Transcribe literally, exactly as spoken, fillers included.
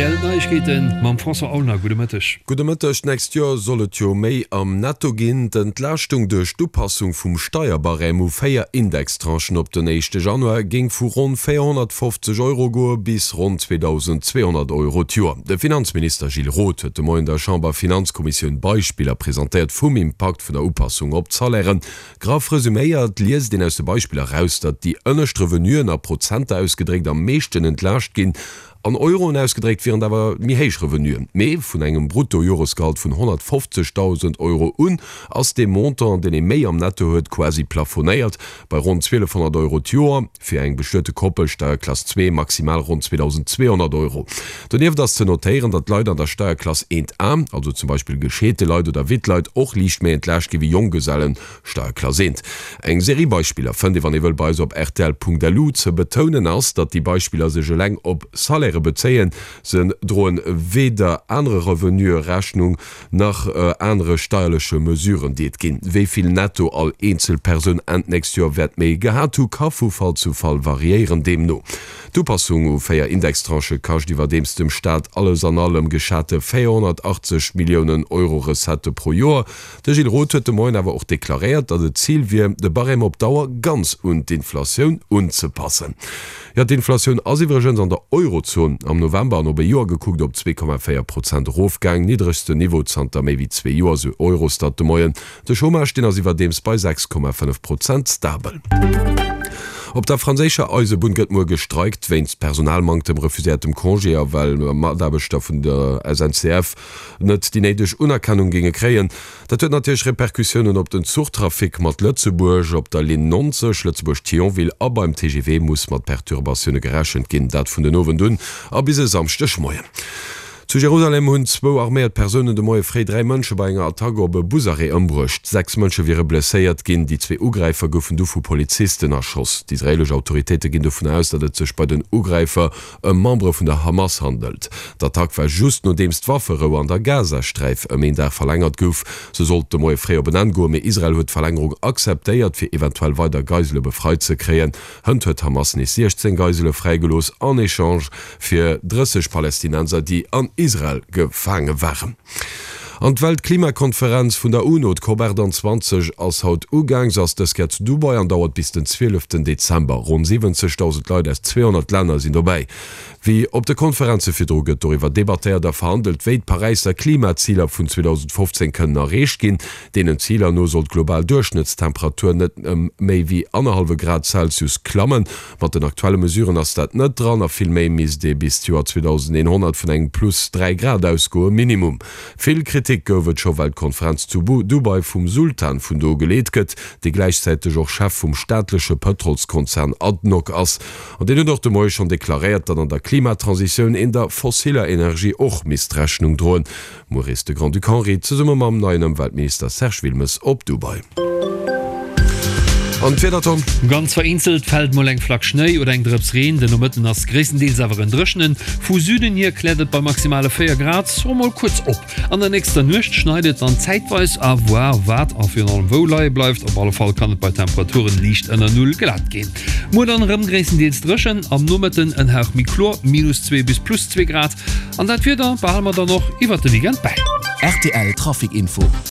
Rtl Neiegkeeten mam François Aulner. Gudde Mëtteg. Gudde Mëtteg. D'nächst Joer soll et jo méi am Netto ginn. D'Entlaaschtung duerch d'Upassung vum Steierbarème u véier Indextranchen op den éischte Januar géing vu ronn véierhonnertfofzeg Euro goe bis ronn zweedausend zweehonnert Euro d'Joer. De Finanzminister Gilles Roth huet de Moien der Chamberfinanzkommissioun Beispiller presentéiert vum Impakt vun der Upassung op d'Salairen. Graff resuméiert liest een aus de Beispiller eraus, datt déi ënnescht Revenuen a Prozenter ausgedréckt am meeschten entlaascht ginn. An Euroen ausgedréckt wieren et awer méi héich Revenuen. Mee vun engem Bruttojoresgehalt vun honnertfofzegdausend Euro un ass dee Montant, deen ee méi am Netto huet, quasi plafonéiert bei ronn zwielefhonnert Euro d'Joer, fir eng bestuete Koppel, Steierklass zwee, maximal ronn zweedausendzweehonnert Euro. Donieft ass ze notéieren, datt Leit an der Steierklass eent A, also zum Beispill gescheete Leit oder Wittleit, och liicht méi entlaascht gi wéi Jonggesellen, Steierklass eent. Eng Serie Beispiller fënnt ee wann ee wëll bei eis op rtl.lu. Ze betounen ass, datt déi Beispiller sech eleng op Salairë bezéien. Se droen weder anere Revenuë Rechnung, nach anere steierleche Mesuren, déi et ginn. Wéi vill netto all eenzel Persoun Enn d'nächst Joer wäert méi gehat hu, ka vu Fall zu Fall variéieren. Deemno d'Upassung u véier Indextranchë kascht iwwerdeems dem Staat alles an allem geschate véierhonnertachtzeg Milliounen Euro Recettë pro Joer. De Gilles Roth huet de Moien awer och deklaréiert, datt et d'Zil wier, de Barème op Dauer ganz un d'Inflatioun unzepassen. Jo, d'Inflatioun ass iwwregens an der Eurozon am November an op e Joer gekuckt op zwee Komma véier Prozent erofgaang, niddregsten Niveau zanter méi wéi zwee Joer, sou Eurostat de Moien. De Chômage, deen ass iwwerdeems bei sechs Komma fënnef Prozent stabel. Op der franséischer Eisebunn gëtt muer gestreikt, wéinst Personalmanktem, refuséiertem Congé a well Mataarbechter vun der S N C F net déi néideg Unerkennung géinge kréien. Dat huet natierlech Repercussiounen op den Zuchtrafic mat Lëtzebuerg. Op der Linn neunzeg Lëtzebuerg-Thionville a beim T G V muss mat Perturbatioune gerechent ginn, dat vun den Owend un a bis e Samschdegmoien. Zu Jerusalem hunn zwou arméiert Persounen de Moie fréi dräi Mënsche bei enger Attack op e Busarrêt ëmbruecht. Sechs Mënsche wiere blesséiert ginn. Déi zwee Ugräifer goufen du vu Polizisten erschoss. D'israeelesch Autoritéite ginn dovun aus, datt et sech bei den Ugräifer ëm Membere vun der Hamas handelt. D'Attack war just nodeems d'Wafferou an der Gazasträif ëm een Dag verlängert gouf. Se sollt de Moie fréi op en Enn goen, mee Israel huet d'Verlängerung akzeptéiert, fir eventuell weider Geisele befreit ze kréien. Hënt huet d'Hamas nees siechzéng Geisele fräigelooss en Echange fir drësseg Palästinenser, déi an Israel gefaange waren. An d'Weltklimakonferenz vun der UNO, d'Cop achtanzwanzeg, ass haut ugaang. Se ass dës Kéier zu Dubai an dauert bis den zwieleften Dezember. Ronn siwwenzegdausend Leit aus zweehonnert Länner sinn dobäi. Wéi op de Konferenze virdru gëtt doriwwer debattéiert a verhandelt, wéi d'Paräisser Klimaziler vun zweedausendfofzéng kënnen erreecht ginn. Deenen Ziler no soll d'global Duerchschnëttstemperatur net ëm méi wéi annerhallwe Grad Celsius klammen. Mat den aktuelle Mesuren ass dat net dran a vill méi misst ee bis d'Joer zweedausendeenhonnert vun engem plus dräi Grad ausgoen, Minimum. Vill Kritik gouf et scho well d'Konferenz zu Dubai vum Sultan vun do geleet gëtt, dee gläichzäiteg och Chef vum staatleche Pëtrolskonzern ADNOC ass. An deen huet och de Moie schonn deklaréiert, datt an der Klimatransitioun een der fossiller Energie och misst Rechnung droen. Muer reest de Grand-Duc Henri zesumme mam neien Ëmweltminister Serge Wilmes op Dubai. An d'Wieder, Tom? Ganz vereenzelt fält mol eng Flack Schnéi oder eng Drëps Reen, den Nomëtten ass gréisstendeels awer en dréchenen. Vu Süden hier kläert et bei maximale véier Grad och mol kuerz op. An der nächster Nuecht schneit et dann zäitweis, à voir wat a virun allem wou leie bleift. Op alle Fall kann et bei Temperaturen liicht ënner Null glat ginn. Muer dann erëm gréisstendeels dréchen, am Nomëtten en Hauch méi kloer, minus zwee bis plus zwee Grad. An dat Wieder behale mer dann och iwwert de Weekend bäi. Rtl Trafic Info.